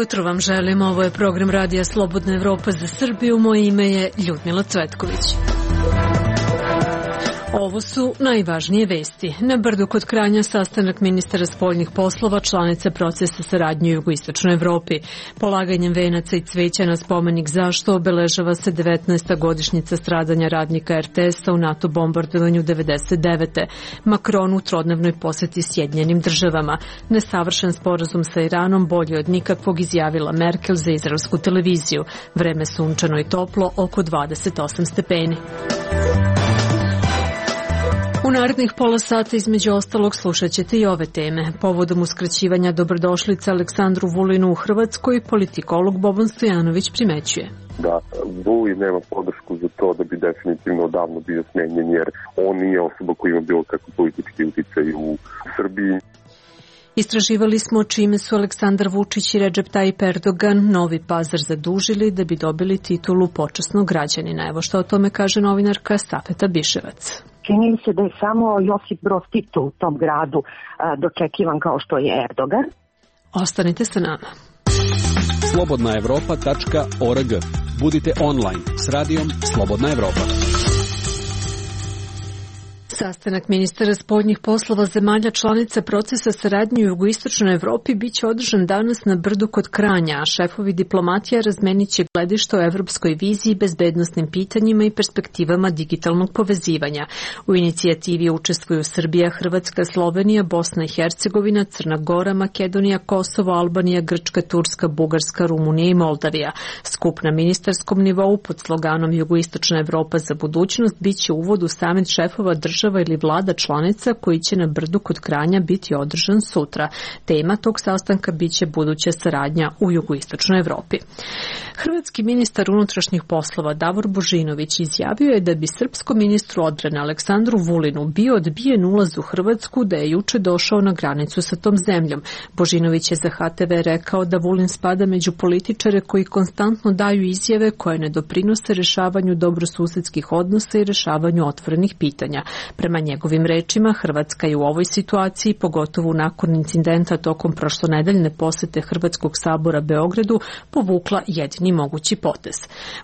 Jutro vam želim, ovo je program Radija Slobodna Evropa za Srbiju, moje ime je Ljudmila Cvetković. Ovo su najvažnije vesti. Na Brdu kod Kranja sastanak ministara spoljnih poslova, članice procesa saradnje u jugoistočnoj Evropi. Polaganjem venaca i cveća na spomenik Zašto obeležava se 19. godišnjica stradanja radnika RTS-a u NATO bombardovanju 99. Makron u trodnevnoj poseti Sjedinjenim državama. Nesavršen sporazum sa Iranom bolje od nikakvog, izjavila Merkel za izraelsku televiziju. Vreme sunčano i toplo, oko 28 stepeni. U narednih pola sata između ostalog slušat ćete i ove teme. Povodom uskraćivanja dobrodošlice Aleksandru Vulinu u Hrvatskoj, politikolog Boban Stojanović primećuje da Vulin nema podršku za to da bi definitivno odavno bio smenjen, jer on nije osoba koja ima bilo kakvu politički uticaj u Srbiji. Istraživali smo čime su Aleksandar Vučić i Recep Tayyip Erdogan Novi Pazar zadužili da bi dobili titulu počasnog građanina. Evo što o tome kaže novinarka Safeta Biševac. Čini mi se da je samo Josip Broz Tito u tom gradu dočekivan kao što je Erdogan. Ostanite sa nama. Slobodnaevropa.org. Budite online s radijom Slobodna Evropa. Sastanak ministara spoljnih poslova zemalja članica procesa saradnje u jugoistočnoj Evropi biće održan danas na Brdu kod Kranja, a šefovi diplomatija razmenit će gledište o evropskoj viziji, bezbednosnim pitanjima i perspektivama digitalnog povezivanja. U inicijativi učestvuju Srbija, Hrvatska, Slovenija, Bosna i Hercegovina, Crna Gora, Makedonija, Kosovo, Albanija, Grčka, Turska, Bugarska, Rumunija i Moldavija. Skup na ministarskom nivou pod sloganom Jugoistočna Evropa za budućnost biće uvod u samit šefova država ili vlada članica koji će na Brdu kod Kranja biti održan sutra. Tema tog sastanka biće buduća saradnja u jugoistočnoj Evropi. Hrvatski ministar unutrašnjih poslova Davor Božinović izjavio je da bi srpskom ministru odbrane Aleksandru Vulinu bio odbijen ulaz u Hrvatsku da je juče došao na granicu sa tom zemljom. Božinović je za HTV rekao da Vulin spada među političare koji konstantno daju izjave koje ne doprinose rešavanju dobrosusedskih odnosa i rešavanju otvorenih pitanja. Prema njegovim rečima, Hrvatska je u ovoj situaciji, pogotovo nakon incidenta tokom prošlonedeljne posete Hrvatskog sabora Beogradu, povukla jedini mogući potez.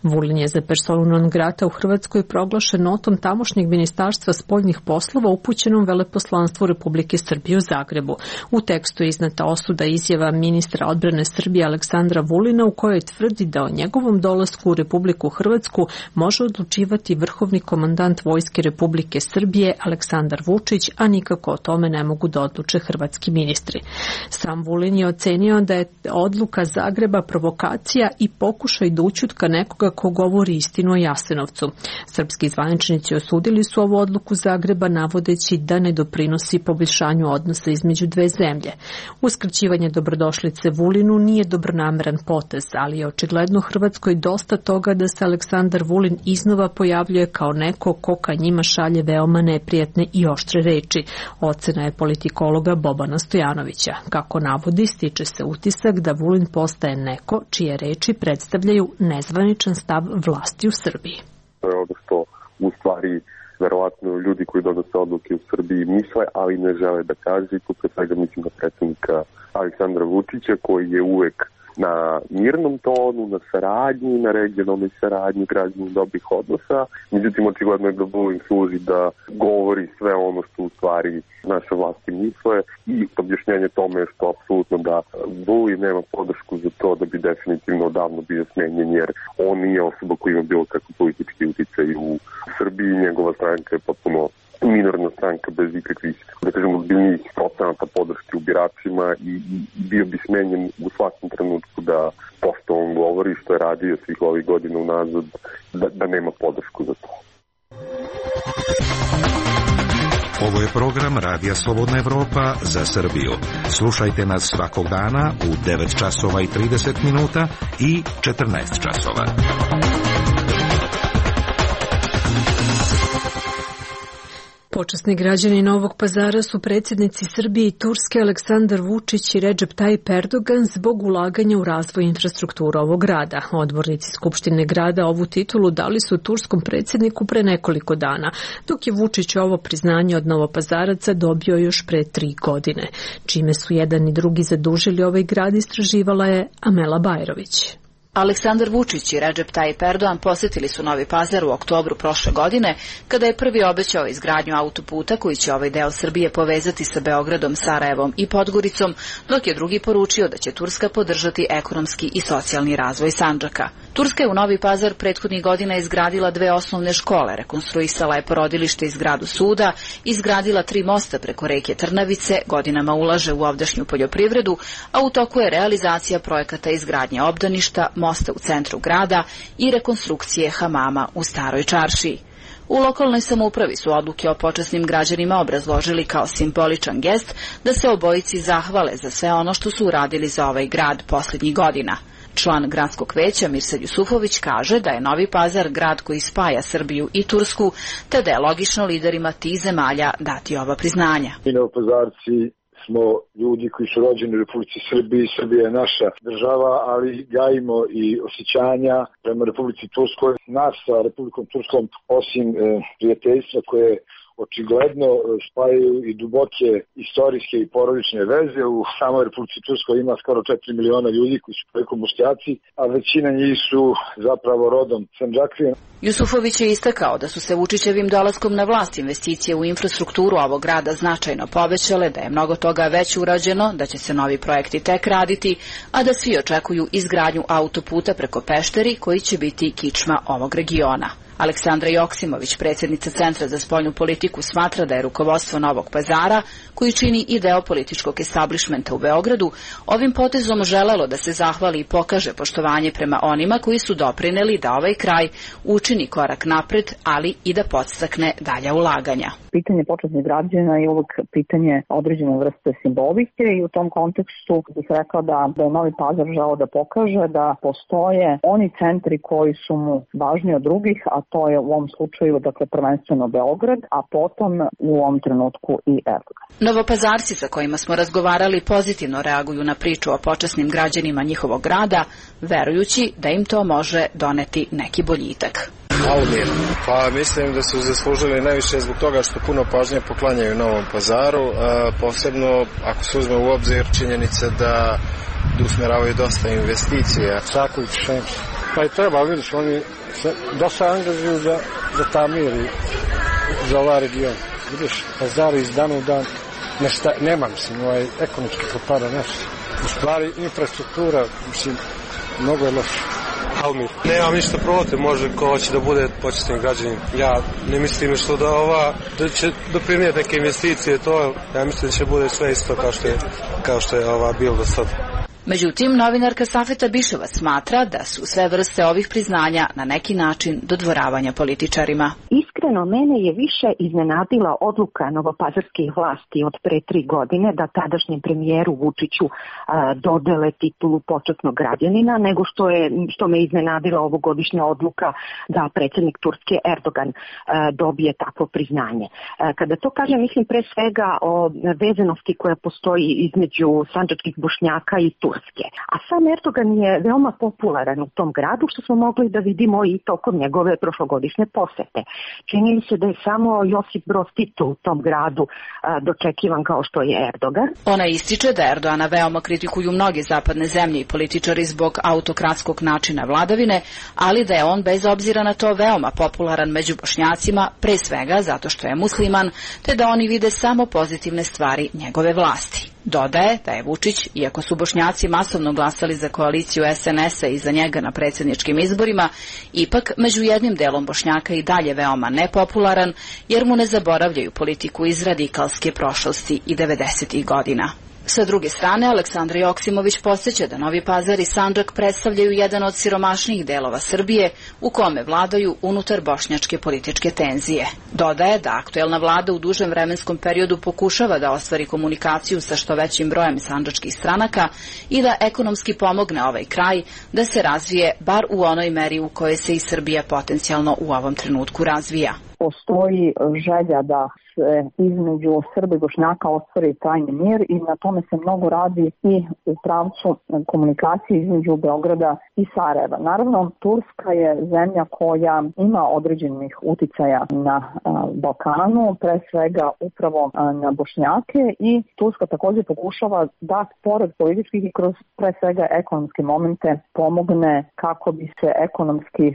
Vulin je za personu non grata u Hrvatskoj proglašen notom tamošnjeg ministarstva spoljnih poslova upućenom veleposlanstvu Republike Srbije u Zagrebu. U tekstu je iznata osuda izjava ministra odbrane Srbije Aleksandra Vulina u kojoj tvrdi da o njegovom dolasku u Republiku Hrvatsku može odlučivati vrhovni komandant Vojske Republike Srbije Aleksandar Vučić, a nikako o tome ne mogu da odluče hrvatski ministri. Sam Vulin je ocenio da je odluka Zagreba provokacija i pokušaj da ućutka nekoga ko govori istinu o Jasenovcu. Srpski zvaničnici osudili su ovu odluku Zagreba navodeći da ne doprinosi poboljšanju odnosa između dve zemlje. Uskraćivanje dobrodošlice Vulinu nije dobronameran potez, ali je očigledno Hrvatskoj dosta toga da se Aleksandar Vulin iznova pojavljuje kao neko ko ka njima šalje veoma neprijatne i oštre reči. Ocena je politikologa Bobana Stojanovića. Kako navodi, stiče se utisak da Vulin postaje neko čije reči predstavljaju nezvaničan stav vlasti u Srbiji. To je ono što u stvari verovatno ljudi koji donose odluke u Srbiji misle, ali ne žele da kaže. I tu pre svega mislim na predsjednika Aleksandra Vučića koji je uvek na mirnom tonu, na saradnji, na regionalnoj saradnji, građanju dobrih odnosa. Međutim, očigledno je da Vulin služi da govori sve ono što u stvari naše vlasti misle i objašnjenje tome je što apsolutno da Vulin nema podršku za to da bi definitivno odavno bio smenjen, jer on nije osoba koja ima bilo kakvu politički uticaj u Srbiji. Njegova stranka je potpuno minorna stranka bez ikakvih, da kažemo, ozbiljnijih procenata podrške u biračima i bio bi smenjen u svakom trenutku da pošto on govori što je radio svih ovih godina unazad, da nema podršku za to. Ovo je program Radija Slobodna Evropa za Srbiju. Slušajte nas svakog dana u 9 časova i 30 minuta i 14 časova. Počasni građani Novog Pazara su predsjednici Srbije i Turske Aleksandar Vučić i Recep Tayyip Erdogan zbog ulaganja u razvoj infrastrukture ovog grada. Odbornici Skupštine grada ovu titulu dali su turskom predsjedniku pre nekoliko dana, dok je Vučić ovo priznanje od Novopazaraca dobio još pre 3 godine. Čime su jedan i drugi zadužili ovaj grad, istraživala je Amela Bajrović. Aleksandar Vučić i Recep Tayyip Erdogan posjetili su Novi Pazar u oktobru prošle godine, kada je prvi obećao izgradnju autoputa koji će ovaj deo Srbije povezati sa Beogradom, Sarajevom i Podgoricom, dok je drugi poručio da će Turska podržati ekonomski i socijalni razvoj Sandžaka. Turska je u Novi Pazar prethodnih godina izgradila 2 osnovne škole, rekonstruisala je porodilište i zgradu suda, izgradila 3 mosta preko reke Trnavice, godinama ulaže u ovdašnju poljoprivredu, a u toku je realizacija projekata izgradnje obdaništa, mosta u centru grada i rekonstrukcije hamama u Staroj čaršiji. U lokalnoj samoupravi su odluke o počasnim građanima obrazložili kao simboličan gest da se obojici zahvale za sve ono što su uradili za ovaj grad posljednjih godina. Član gradskog veća Mirsad Jusufović kaže da je Novi Pazar grad koji spaja Srbiju i Tursku, te da je logično liderima tih zemalja dati ova priznanja. Mi Novopazarci smo ljudi koji su rođeni u Republici Srbiji, Srbija je naša država, ali gajimo i osjećanja prema Republici Turskoj. Nas sa Republikom Turskom, osim prijateljstva koje očigledno spajaju i duboke istorijske i porodične veze. U samoj Republici Turskoj ima skoro 4 miliona ljudi koji su preko Bošnjaci, a većina njih su zapravo rodom Sandžaklije. Jusufović je istakao da su se Vučićevim dolaskom na vlast investicije u infrastrukturu ovog grada značajno povećale, da je mnogo toga već urađeno, da će se novi projekti tek raditi, a da svi očekuju izgradnju autoputa preko Pešteri koji će biti kičma ovog regiona. Aleksandra Joksimović, predsjednica Centra za spoljnu politiku, smatra da je rukovodstvo Novog Pazara, koji čini i deo političkog establishmenta u Beogradu, ovim potezom želelo da se zahvali i pokaže poštovanje prema onima koji su doprineli da ovaj kraj učini korak napred, ali i da podstakne dalja ulaganja. Pitanje počasnih građana je uvek pitanje određene vrste simbolike i u tom kontekstu bih rekla da je Novi Pazar želeo da pokaže da postoje oni centri koji su mu važni od drugih, a to je u ovom slučaju prvenstveno Beograd, a potom u ovom trenutku i Erdogan. Novopazarci sa kojima smo razgovarali pozitivno reaguju na priču o počasnim građanima njihovog grada, verujući da im to može doneti neki boljitak. Almir. Pa mislim da su zaslužili najviše zbog toga što puno pažnje poklanjaju Novom Pazaru, posebno ako se uzme u obzir činjenica da usmeravaju dosta investicija. Saković, pa i treba, vidiš, oni se dosta angažuju za Tamir i za ovaj region. Vidiš, Pazar iz dana u dan nema, ekonomski propada nešto. U stvari, infrastruktura, mnogo je loša. Almir. Nemam ništa protiv, može ko hoće da bude počasnim građanin. Ja ne mislim što da će doprinijeti neke investicije, to ja mislim da će bude sve isto kao što je bilo do sada. Međutim, novinarka Safeta Biševa smatra da su sve vrste ovih priznanja na neki način dodvoravanja političarima. Iskreno, mene je više iznenadila odluka novopazarskih vlasti od pre 3 godine da tadašnjem premijeru Vučiću dodele titulu počasnog građanina, nego što me iznenadila ovogodišnja odluka da predsjednik Turske Erdogan dobije takvo priznanje. Kada to kažem, mislim pre svega o vezanosti koja postoji između sandžačkih Bošnjaka i Turske. A sam Erdogan je veoma popularan u tom gradu, što smo mogli da vidimo i tokom njegove prošlogodišnje posete. Čini mi se da je samo Josip Broz Tito u tom gradu dočekivan kao što je Erdogan. Ona ističe da Erdogana veoma kritikuju mnoge zapadne zemlje i političari zbog autokratskog načina vladavine, ali da je on bez obzira na to veoma popularan među Bošnjacima, pre svega zato što je musliman, te da oni vide samo pozitivne stvari njegove vlasti. Dodaje da je Vučić, iako su Bošnjaci masovno glasali za koaliciju SNS-a i za njega na predsjedničkim izborima, ipak među jednim delom Bošnjaka i dalje veoma nepopularan, jer mu ne zaboravljaju politiku iz radikalske prošlosti i 90. godina. Sa druge strane, Aleksandra Joksimović podsjeća da Novi Pazar i Sandžak predstavljaju jedan od siromašnijih delova Srbije u kome vladaju unutar bošnjačke političke tenzije. Dodaje da aktuelna vlada u dužem vremenskom periodu pokušava da ostvari komunikaciju sa što većim brojem sandžačkih stranaka i da ekonomski pomogne ovaj kraj da se razvije bar u onoj meri u kojoj se i Srbija potencijalno u ovom trenutku razvija. postoji želja da se između Srba i Bošnjaka ostvari trajni mir i na tome se mnogo radi i u pravcu komunikacije između Beograda i Sarajeva. Naravno, Turska je zemlja koja ima određenih uticaja na Balkanu, pre svega upravo na Bošnjake, i Turska također pokušava da pored političkih i kroz pre svega ekonomske momente pomogne kako bi se ekonomski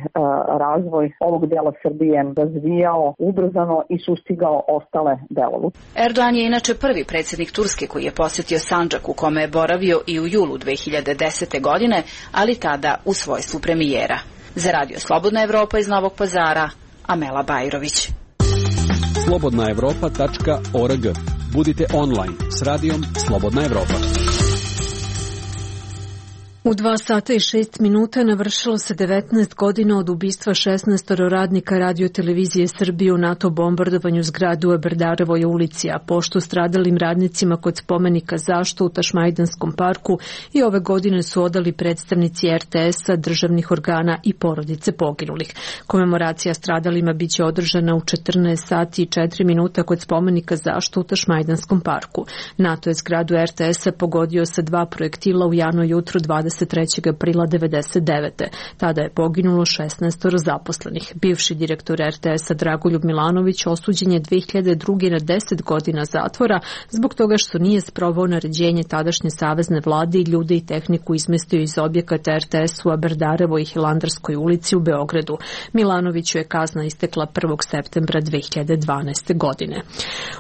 razvoj ovog dela Srbije razvijao ubrzano i sustigao ostale delove. Erdogan je inače prvi predsjednik Turske koji je posjetio Sandžak, u kome je boravio i u julu 2010. godine, ali tada u svojstvu premijera. Za Radio Slobodna Evropa iz Novog Pazara, Amela Bajrović. slobodnaevropa.org. Budite online s radijom Slobodna Evropa. U 2 sata i 6 minuta navršilo se 19 godina od ubistva 16 radnika Radio-televizije Srbije u NATO bombardovanju zgrade u Eberdarevoj ulici, a poštu stradalim radnicima kod spomenika Zašto u Tašmajdanskom parku i ove godine su odali predstavnici RTS-a, državnih organa i porodice poginulih. Komemoracija stradalima biće održana u 14 sati i 4 minuta kod spomenika Zašto u Tašmajdanskom parku. NATO je zgradu RTS-a pogodio sa 2 projektila u jano jutro 23. aprila 1999. Tada je poginulo 16 zaposlenih. Bivši direktor RTS-a Dragoljub Milanović osuđen je 2002. na 10 godina zatvora zbog toga što nije sproveo naređenje tadašnje savezne vlade i ljude i tehniku izmestio iz objekata RTS u Aberdarevoj i Hilandarskoj ulici u Beogradu. Milanoviću je kazna istekla 1. septembra 2012. godine.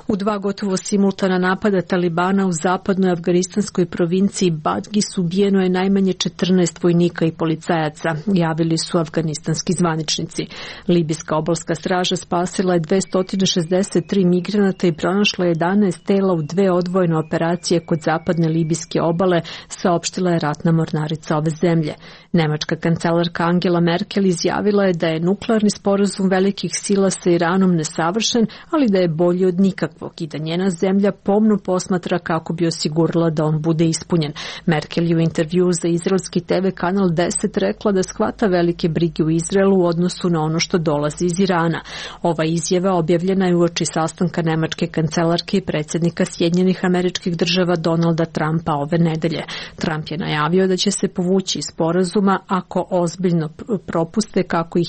U 2 gotovo simultana napada Talibana u zapadnoj afganistanskoj provinciji Badgis ubijeno je najmanje 14 vojnika i policajaca, javili su afganistanski zvaničnici. Libijska obalska straža spasila je 263 migranata i pronašla 11 tela u 2 odvojene operacije kod zapadne libijske obale, saopštila je ratna mornarica ove zemlje. Nemačka kancelarka Angela Merkel izjavila je da je nuklearni sporazum velikih sila sa Iranom nesavršen, ali da je bolji od nikakvog i da njena zemlja pomno posmatra kako bi osigurala da on bude ispunjen. Merkel je u intervju za izraelski TV kanal 10 rekla da shvata velike brige u Izraelu u odnosu na ono što dolazi iz Irana. Ova izjava objavljena je uoči sastanka nemačke kancelarke i predsjednika Sjedinjenih Američkih Država Donalda Trumpa ove nedelje. Trump je najavio da će se povući iz sporazuma ako ozbiljne propuste kako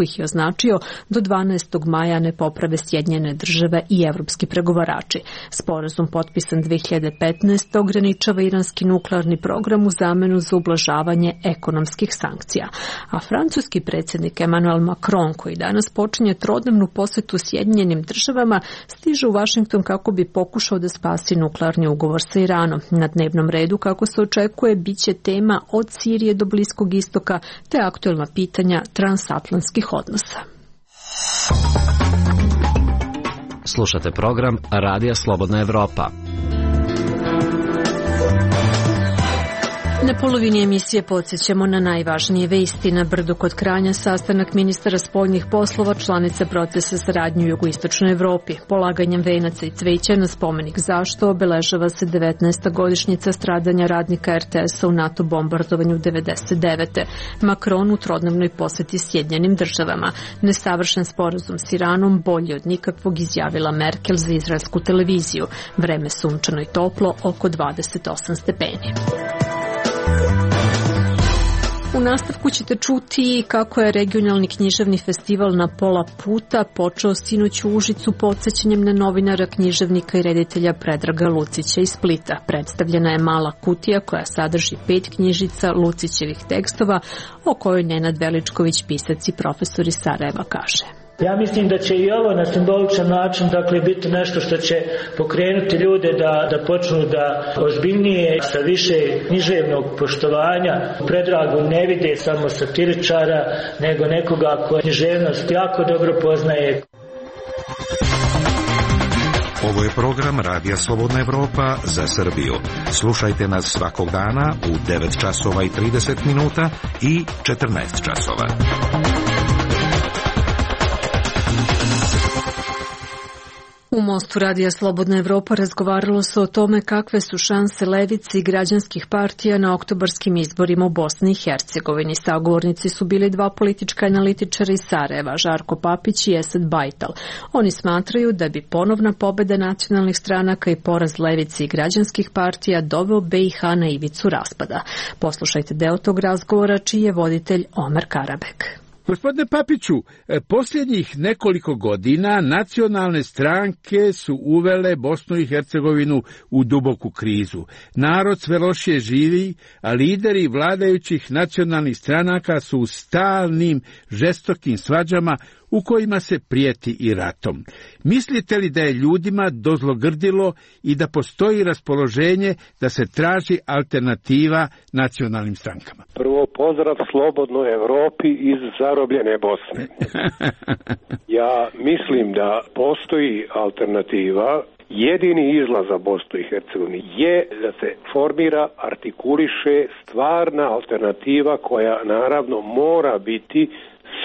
ih je označio do 12. maja ne poprave Sjedinjene Države i evropski pregovarači. Sporazum potpisan 2015. ograničava iranski nuklearni program u zamenu za ublažavanje ekonomskih sankcija. A francuski predsjednik Emmanuel Macron, koji danas počinje trodnevnu posetu Sjedinjenim Državama, stiže u Vašington kako bi pokušao da spasi nuklearni ugovor sa Iranom. Na dnevnom redu, kako se očekuje, biće tema od Sirije do Bliskog istoka te aktuelna pitanja transatlantskih odnosa. Slušate program Radija Slobodna Evropa. Na polovini emisije podsjećamo na najvažnije vesti. Na Brdu kod Kranja sastanak ministara spoljnih poslova članica procesa saradnje u jugoistočnoj Evropi. Polaganjem venaca i cveća na spomenik Zašto obeležava se 19. godišnjica stradanja radnika RTS-a u NATO bombardovanju 1999. Macron u trodnevnoj poseti Sjedinjenim Državama. Nesavršen sporazum s Iranom bolji od nikakvog, izjavila Merkel za izraelsku televiziju. Vreme sunčano i toplo, oko 28 stepeni. U nastavku ćete čuti kako je regionalni književni festival Na pola puta počeo sinoć u Užicu podsjećanjem na novinara, književnika i reditelja Predraga Lucića iz Splita. Predstavljena je mala kutija koja sadrži 5 knjižica Lucićevih tekstova o kojoj Nenad Veličković, pisac i profesor iz Sarajeva, kaže. Ja mislim da će i ovo na simboličan način biti nešto što će pokrenuti ljude da počnu da ozbiljnije, sa više književnog poštovanja Predragu ne vide samo satiričara, nego nekoga ko književnost jako dobro poznaje. Ovo je program Radija Slobodna Evropa za Srbiju. Slušajte nas svakog dana u 9 časova i 30 minuta i 14 časova. U Mostu Radija Slobodna Evropa razgovaralo se o tome kakve su šanse levice i građanskih partija na oktobarskim izborima u Bosni i Hercegovini. Sagovornici su bili dva politička analitičara iz Sarajeva, Žarko Papić i Esad Bajtal. Oni smatraju da bi ponovna pobeda nacionalnih stranaka i poraz levice i građanskih partija doveo BiH na ivicu raspada. Poslušajte deo tog razgovora čiji je voditelj Omer Karabek. Gospodine Papiću, posljednjih nekoliko godina nacionalne stranke su uvele Bosnu i Hercegovinu u duboku krizu. Narod sve lošije živi, a lideri vladajućih nacionalnih stranaka su u stalnim, žestokim svađama u kojima se prijeti i ratom. Mislite li da je ljudima dozlogrdilo i da postoji raspoloženje da se traži alternativa nacionalnim strankama? Prvo, pozdrav slobodnoj Evropi iz zarobljene Bosne. Ja mislim da postoji alternativa. Jedini izlaz za Bosnu i Hercegovinu je da se formira, artikuliše stvarna alternativa koja naravno mora biti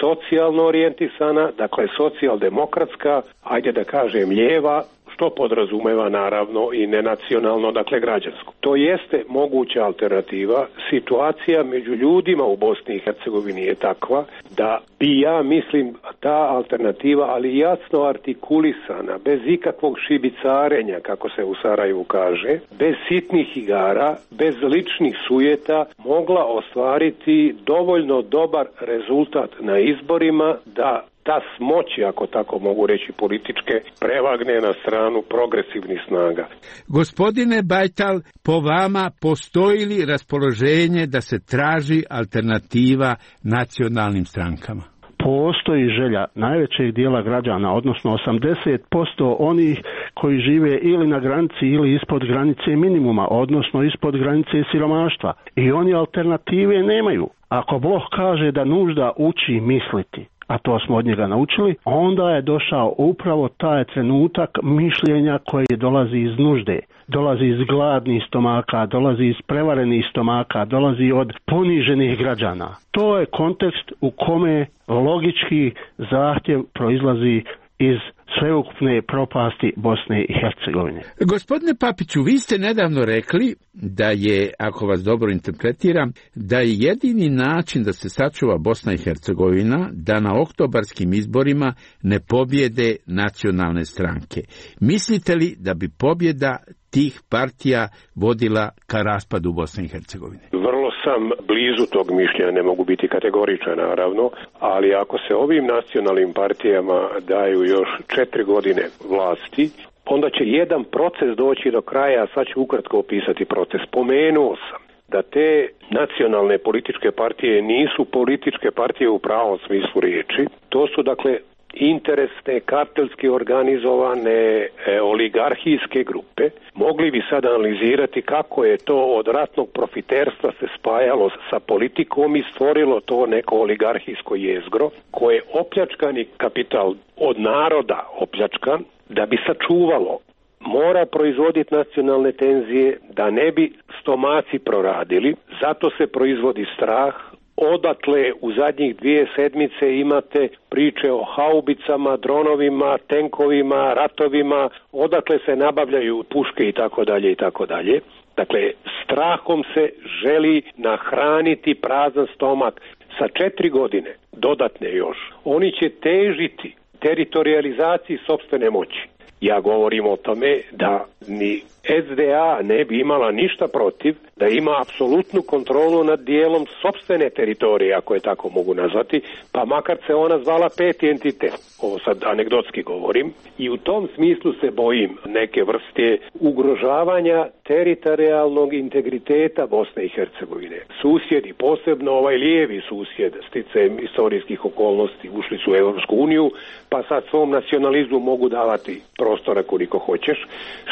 socijalno orijentisana, dakle socijaldemokratska, ajde da kažem lijeva, što podrazumeva naravno i nenacionalno, dakle građansko. To jeste moguća alternativa. Situacija među ljudima u Bosni i Hercegovini je takva da bi, ja mislim, ta alternativa, ali jasno artikulisana, bez ikakvog šibicarenja, kako se u Sarajevu kaže, bez sitnih igara, bez ličnih sujeta, mogla ostvariti dovoljno dobar rezultat na izborima da ta smoći, ako tako mogu reći, političke, prevagne na stranu progresivnih snaga. Gospodine Bajtal, po vama postoji li raspoloženje da se traži alternativa nacionalnim strankama? Postoji želja najvećeg dijela građana, odnosno 80% onih koji žive ili na granici ili ispod granice minimuma, odnosno ispod granice siromaštva. I oni alternative nemaju. Ako Bog kaže da nužda uči misliti, a to smo od njega naučili, onda je došao upravo taj trenutak mišljenja koje dolazi iz nužde. Dolazi iz gladnih stomaka, dolazi iz prevarenih stomaka, dolazi od poniženih građana. To je kontekst u kome logički zahtjev proizlazi iz sveukupne propasti Bosne i Hercegovine. Gospodine Papiću, vi ste nedavno rekli da je, ako vas dobro interpretiram, da je jedini način da se sačuva Bosna i Hercegovina da na oktobarskim izborima ne pobjede nacionalne stranke. Mislite li da bi pobjeda tih partija vodila ka raspadu Bosne i Hercegovine? Vrlo sam blizu tog mišljenja, ne mogu biti kategoričan naravno, ali ako se ovim nacionalnim partijama daju još 4 godine vlasti, onda će jedan proces doći do kraja, a sad ću ukratko opisati proces. Spomenuo sam da te nacionalne političke partije nisu političke partije u pravom smislu riječi. To su dakle interesne, kartelski organizovane oligarhijske grupe. Mogli bi sad analizirati kako je to od ratnog profiterstva se spajalo sa politikom i stvorilo to neko oligarhijsko jezgro koje je opljačkani kapital od naroda opljačkan da bi sačuvalo. Mora proizvoditi nacionalne tenzije da ne bi stomaci proradili, zato se proizvodi strah. Odatle u zadnjih 2 sedmice imate priče o haubicama, dronovima, tenkovima, ratovima, odatle se nabavljaju puške i tako dalje i tako dalje. Dakle, strahom se želi nahraniti prazan stomak. Sa 4 godine, dodatne još, oni će težiti teritorializaciji sopstvene moći. Ja govorim o tome da ni SDA ne bi imala ništa protiv da ima apsolutnu kontrolu nad dijelom sopstvene teritorije, ako je tako mogu nazvati, pa makar se ona zvala 5. entitet. Ovo sad anegdotski govorim. I u tom smislu se bojim neke vrste ugrožavanja teritorijalnog integriteta Bosne i Hercegovine. Susjedi, posebno ovaj lijevi susjed, sticajem istorijskih okolnosti, ušli su u Europsku uniju, pa sad svom nacionalizmu mogu davati prostora koliko hoćeš.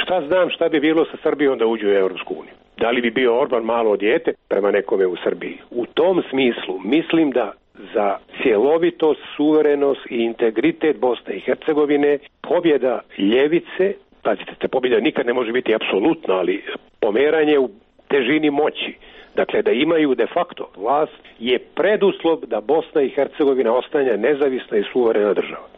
Šta znam šta bi bilo sa Srbijom da uđe u Europsku uniju? Da li bi bio Orban malo dijete prema nekome u Srbiji? U tom smislu mislim da za cjelovitost, suverenost i integritet Bosne i Hercegovine pobjeda ljevice, pazite, te pobjeda nikad ne može biti apsolutna, ali pomeranje u težini moći, dakle da imaju de facto vlast, je preduslov da Bosna i Hercegovina ostane nezavisna i suverena država.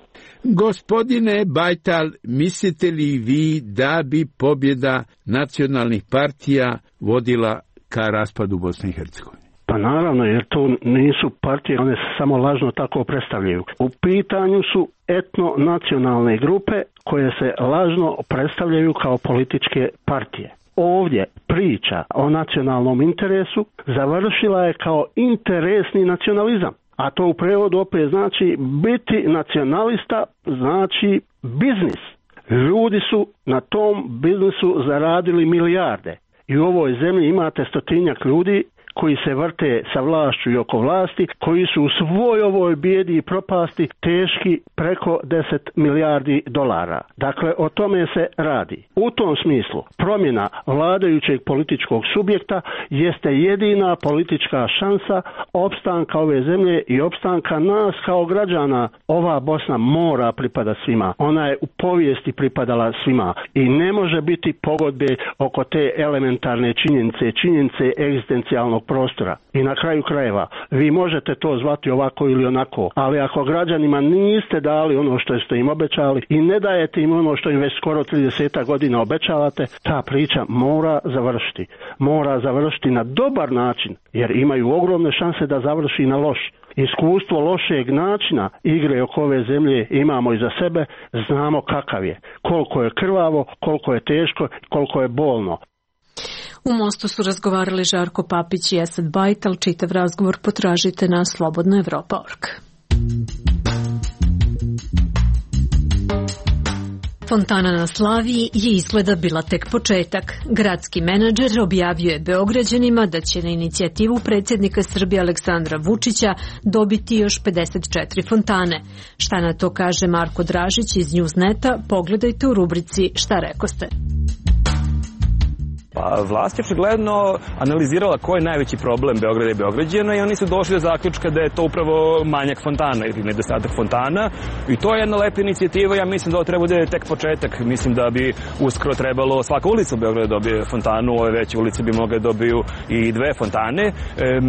Gospodine Bajtal, mislite li vi da bi pobjeda nacionalnih partija vodila ka raspadu Bosne i Hercegovine? Pa naravno, jer to nisu partije, one se samo lažno tako predstavljaju. U pitanju su etno-nacionalne grupe koje se lažno predstavljaju kao političke partije. Ovdje priča o nacionalnom interesu završila je kao interesni nacionalizam. A to u prevodu opet znači biti nacionalista, znači biznis. Ljudi su na tom biznisu zaradili milijarde. I u ovoj zemlji imate 100-tinjak ljudi koji se vrte sa vlašću i oko vlasti, koji su u svoj ovoj bijedi i propasti teški preko 10 milijardi dolara. Dakle, o tome se radi. U tom smislu, promjena vladajućeg političkog subjekta jeste jedina politička šansa opstanka ove zemlje i opstanka nas kao građana. Ova Bosna mora pripada svima. Ona je u povijesti pripadala svima i ne može biti pogodbe oko te elementarne činjenice egzistencijalnog prostora. I na kraju krajeva, vi možete to zvati ovako ili onako, ali ako građanima niste dali ono što ste im obećali i ne dajete im ono što im već skoro 30 godina obećavate, ta priča mora završiti. Mora završiti na dobar način, jer imaju ogromne šanse da završi na loš. Iskustvo lošeg načina igre oko ove zemlje imamo iza sebe, znamo kakav je. Koliko je krvavo, koliko je teško, koliko je bolno. U Mostu su razgovarali Žarko Papić i Esad Bajtal. Čitav razgovor potražite na slobodnaevropa.org. Fontana na Slaviji je izgleda bila tek početak. Gradski menadžer objavio je Beograđanima da će na inicijativu predsjednika Srbije Aleksandra Vučića dobiti još 54 fontane. Šta na to kaže Marko Dražić iz Newsneta, pogledajte u rubrici Šta rekoste. Pa vlast je očigledno analizirala koji je najveći problem Beograda i Beograđana i oni su došli do zaključka da je to upravo manjak fontana ili nedostatak fontana i to je jedna lepa inicijativa. Ja mislim da ovo treba bude tek početak. Mislim da bi uskoro trebalo svaka ulica u Beogradu dobije fontanu, ove veće ulice bi mogle dobiju i 2 fontane.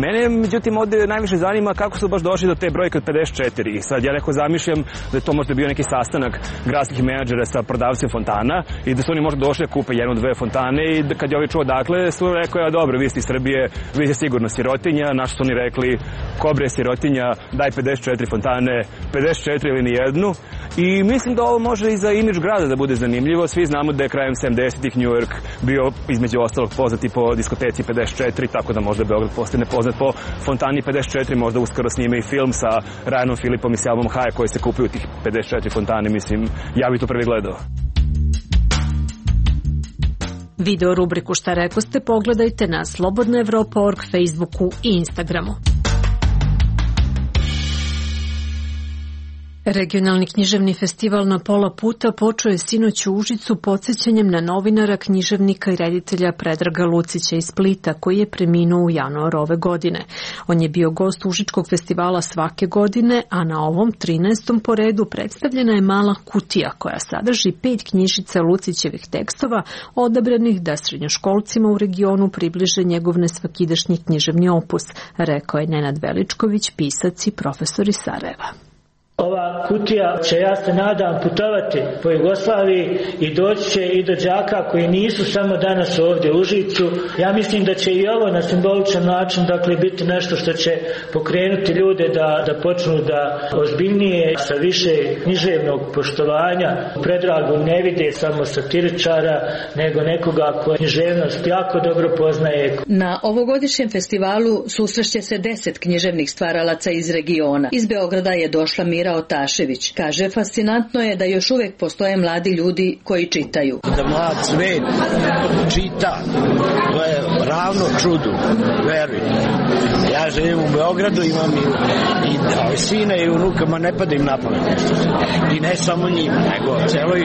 Mene međutim ovdje najviše zanima kako su baš došli do te brojke od 54 i sad ja neko zamišljam da je to možda bio neki sastanak gradskih menadžera sa prodavcem fontana i da su oni možda došli da kupe 1-2 fontane i kad je ovi čuo dakle, su rekao, ja dobro, vi ste iz Srbije, vi ste sigurno sirotinja, našto su oni rekli, kobre sirotinja, daj 54 fontane, 54 ili nijednu. I mislim da ovo može i za imidž grada da bude zanimljivo. Svi znamo da je krajem 70-ih New York bio između ostalog poznati po diskoteci 54, tako da možda Beograd postane poznat po fontani 54, možda uskoro snime i film sa Ryanom Phillipom i Selmom Hayek koji se kupuju tih 54 fontane, mislim, ja bi to prvi gledao. Video rubriku Šta rekoste pogledajte na slobodnaevropa.org, Facebooku i Instagramu. Regionalni književni festival Na pola puta počeo je sinoć u Užicu podsjećanjem na novinara, književnika i reditelja Predraga Lucića iz Splita, koji je preminuo u januaru ove godine. On je bio gost Užičkog festivala svake godine, a na ovom 13. po redu predstavljena je mala kutija koja sadrži 5 knjižica Lucićevih tekstova odabranih da srednjoškolcima u regionu približe njegov nesvakidašnji književni opus, rekao je Nenad Veličković, pisac i profesor iz Sarajeva. Ova kutija će, ja se nadam, putovati po Jugoslaviji i doći će i do đaka koji nisu samo danas ovdje u Užicu. Ja mislim da će i ovo na simboličan način biti nešto što će pokrenuti ljude da počnu da ozbiljnije, sa više književnog poštovanja Predragu ne vide samo satiričara, nego nekoga ko književnost jako dobro poznaje. Na ovogodišnjem festivalu susrešće se 10 književnih stvaralaca iz regiona. Iz Beograda je došla Mira Otašević. Kaže, fascinantno je da još uvijek postoje mladi ljudi koji čitaju. Da mlad svet čita, to je ravno čudu, verujte. Ja živim u Beogradu, imam i sine i unukama, ne pada im na pamet nešto. I ne samo njima, nego celoj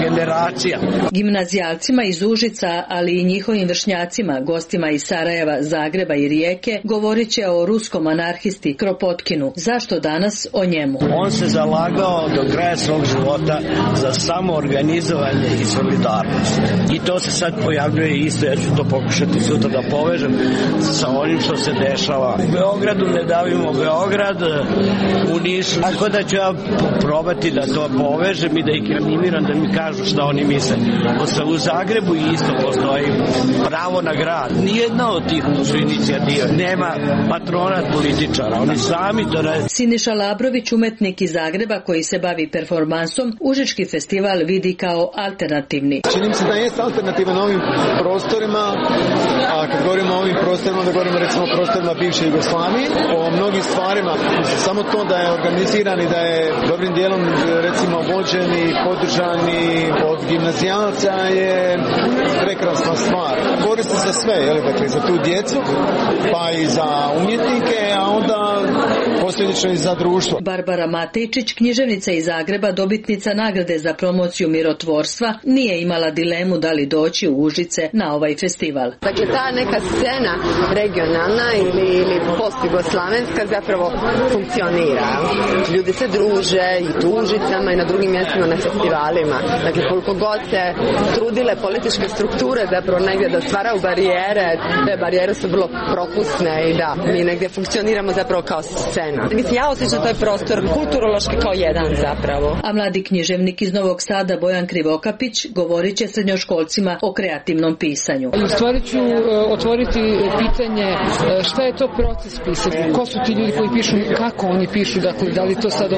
generacija. Gimnazijalcima iz Užica, ali i njihovim vršnjacima, gostima iz Sarajeva, Zagreba i Rijeke, govorit će o ruskom anarhisti Kropotkinu. Zašto danas o njemu? On se zalagao do kraja svog života za samoorganizovanje i solidarnost. I to se sad pojavljuje isto, ja ću to pokušati sutra da povežem sa onim što se dešava dešava u Beogradu, ne davimo Beograd, u Nišu. Tako da ću ja probati da to povežem i da ih animiram da mi kažu šta oni misle. U Zagrebu isto postoji pravo na grad. Nijedna od tih inicijativa nema patronat političara, oni sami to rade. Siniša Labrović, umetnik iz Zagreba koji se bavi performansom, Užički festival vidi kao alternativni. Čini mi se da jeste alternativan ovim prostorima, a kad govorimo o ovim prostorima, da govorimo recimo o prostorima bivše Jugoslavije, o mnogim stvarima, samo to da je organiziran i da je dobrim dijelom recimo vođen i podržani od gimnazijalca je prekrasna stvar. Koristi za sve, dakle za tu djecu, pa i za umjetnike, a onda posljedično i za društvo. Barbara Matejčić, književnica iz Zagreba, dobitnica nagrade za promociju mirotvorstva, nije imala dilemu da li doći u Užice na ovaj festival. Dakle, ta neka scena regionalna ili post-jugoslavenska zapravo funkcionira. Ljudi se druže i tu u Užicama i na drugim mjestima na festivalima. Dakle, koliko god se trudile političke strukture zapravo negdje da stvaraju barijere, te barijere su vrlo propusne i da mi negdje funkcioniramo zapravo kao scena. Mislim, ja osjećam taj prostor kulturološki kao jedan zapravo. A mladi književnik iz Novog Sada Bojan Krivokapić govorit će srednjoškolcima o kreativnom pisanju. U stvari ću otvoriti pitanje šta je to proces pisanja, ko su ti ljudi koji pišu, kako oni pišu, dakle da li to sad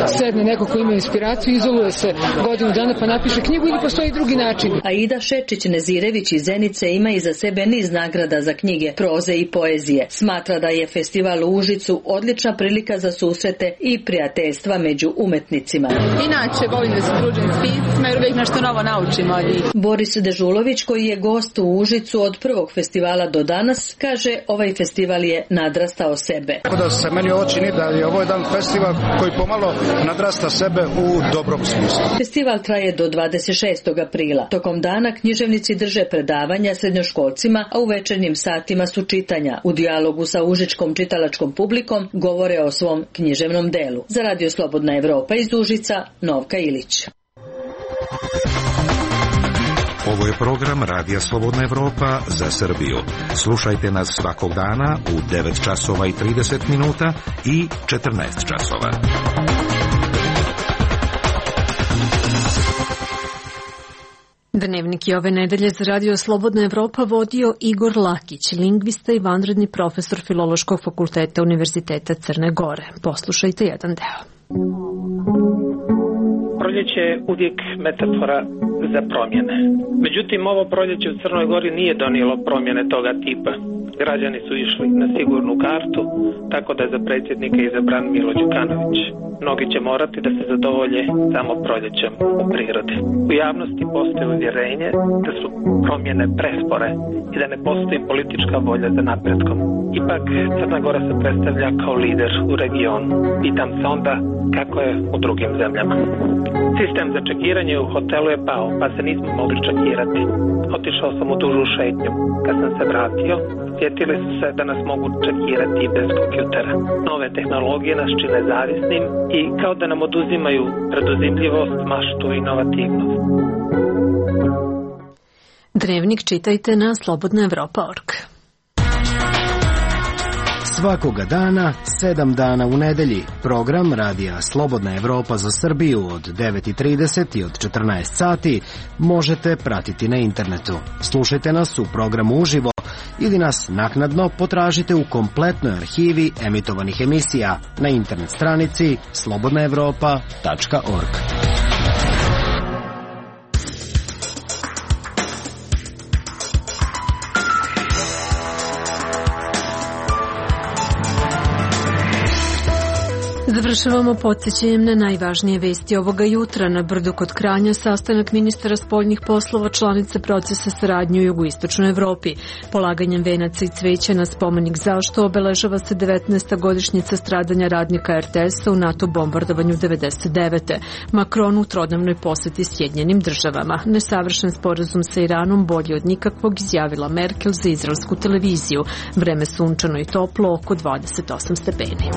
sedne neko ko ima inspiraciju, izoluje se godinu dana pa napiše knjigu ili postoji drugi način. Aida Šečić-Nezirević iz Zenice ima iza sebe niz nagrada za knjige, proze i poezije. Smatra da je festival u Užicu odlična prilika za susrete i prijateljstva među umetnicima. Inače volim da se družim s piscima jer uvijek nešto novo naučimo od njih. Boris Dežulović, koji je gost u Užicu od prvog festivala do danas, kaže ovaj festival je nadrastao sebe. Tako da se meni ovo čini da je ovo jedan festival koji pomalo nadrasta sebe u dobrom smislu. Festival traje do 26. aprila. Tokom dana književnici drže predavanja srednjoškolcima, a u večernjim satima su čitanja. U dijalogu sa užičkom čitalačkom publikom govore o svom književnom delu. Za Radio Slobodna Evropa iz Užica, Novka Ilić. Ovo je program Radija Slobodna Evropa za Srbiju. Slušajte nas svakog dana u 9 časova i 30 minuta i 14 časova. Dnevnik je ove nedelje za Radio Slobodna Evropa vodio Igor Lakić, lingvista i vanredni profesor Filološkog fakulteta Univerziteta Crne Gore. Poslušajte jedan deo. Proljeće je uvijek metafora za promjene. Međutim, ovo proljeće u Crnoj Gori nije donijelo promjene toga tipa. Građani su išli na sigurnu kartu, tako da je za predsjednika izabran Milo Đukanović. Mnogi će morati da se zadovolje samo proljećem u prirodi. U javnosti postoji uvjerenje da su promjene prespore i da ne postoji politička volja za napretkom. Ipak, Crna Gora se predstavlja kao lider u regionu. Pitam se onda kako je u drugim zemljama. Sistem za čekiranje u hotelu je pao, pa se nismo mogli čekirati. Otišao sam u dužu šetnju. Kad sam se vratio, sjetili su se da nas mogu čekirati i bez kompjutera. Nove tehnologije nas čine zavisnim i kao da nam oduzimaju preduzimljivost, maštu i inovativnost. Dnevnik čitajte na slobodnaevropa.org. Svakoga dana, 7 dana u nedelji, program Radija Slobodna Evropa za Srbiju od 9:30 i od 14 sati možete pratiti na internetu. Slušajte nas u programu uživo ili nas naknadno potražite u kompletnoj arhivi emitovanih emisija na internet stranici slobodnaevropa.org. Završavamo podsjećanjem na najvažnije vesti ovoga jutra. Na Brdu kod Kranja sastanak ministara spoljnih poslova članice procesa saradnje u jugoistočnoj Evropi. Polaganjem venaca i cveća na spomenik Zašto obeležava se 19. godišnjica stradanja radnika RTS-a u NATO bombardovanju 99. Macron u trodnevnoj poseti Sjedinjenim državama. Nesavršen sporazum sa Iranom bolji od nikakvog, izjavila Merkel za izraelsku televiziju. Vreme sunčano i toplo, oko 28 stepeni.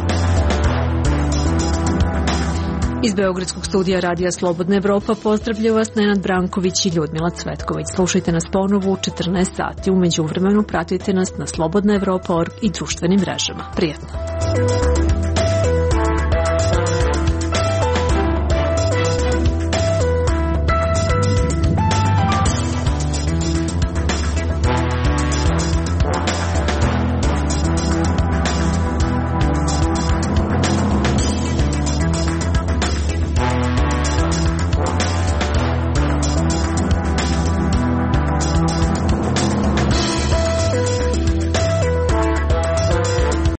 Iz Beogradskog studija Radija Slobodna Evropa pozdravljaju vas Nenad Branković i Ljudmila Cvetković. Slušajte nas ponovo u 14 sati. U međuvremenu pratite nas na slobodnaevropa.org i društvenim mrežama. Prijetno!